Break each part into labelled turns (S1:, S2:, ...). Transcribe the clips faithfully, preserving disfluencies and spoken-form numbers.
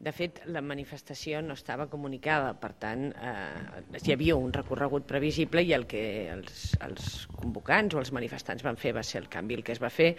S1: De fet, la manifestació no estava comunicada, per tant, eh, hi havia un recorregut previsible i el que els, els convocants o els manifestants van fer va ser el canvi. El que es va fer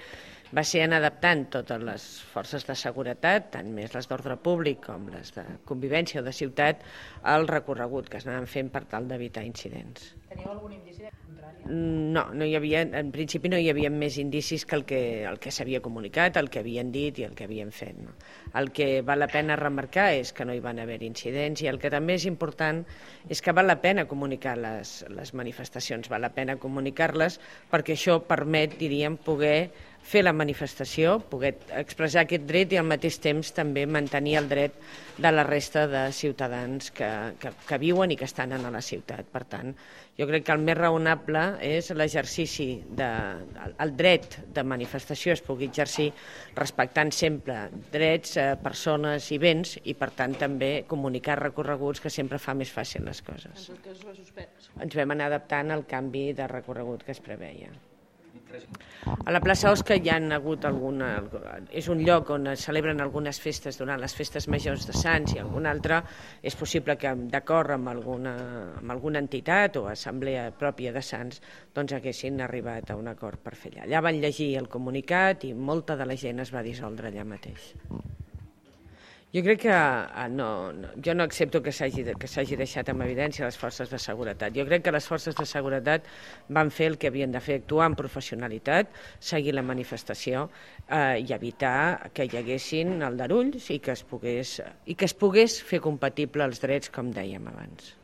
S1: va ser anar adaptant totes les forces de seguretat, tant més les d'ordre públic com les de convivència o de ciutat, al recorregut que es anaven fent per tal d'evitar incidents.
S2: Teníeu algun indici de contrari?
S1: No, no hi havia, en principi no hi havia més indicis que el que, el que s'havia comunicat, el que havien dit i el que havien fet. No? El que val la pena remarcar és que no hi van haver incidents i el que també és important és que val la pena comunicar les, les manifestacions, val la pena comunicar-les perquè això permet, diríem, poder fer la manifestació, poder expressar aquest dret i al mateix temps també mantenir el dret de la resta de ciutadans que, que, que viuen i que estan a la ciutat. Per tant, jo crec que el més raonable és l'exercici de, el dret de manifestació es pugui exercir respectant sempre drets, persones i béns i per tant també comunicar recorreguts que sempre fa més fàcil les coses.
S2: En tot cas, es va suspendre.
S1: Ens vam anar adaptant al canvi de recorregut que es preveia. A la plaça Osca hi ha hagut alguna... És un lloc on es celebren algunes festes durant les festes majors de Sants i algun altre. És possible que d'acord amb alguna, amb alguna entitat o assemblea pròpia de Sants doncs haguessin arribat a un acord per fer allà. Allà van llegir el comunicat i molta de la gent es va dissoldre allà mateix. Jo crec que no, no, jo no accepto que s'hagi que s'hagi deixat en evidència les forces de seguretat. Jo crec que les forces de seguretat van fer el que havien de fer, actuar amb professionalitat, seguir la manifestació eh, i evitar que hi haguessin aldarulls i que es pogués, i que es pogués fer compatible els drets, com dèiem abans.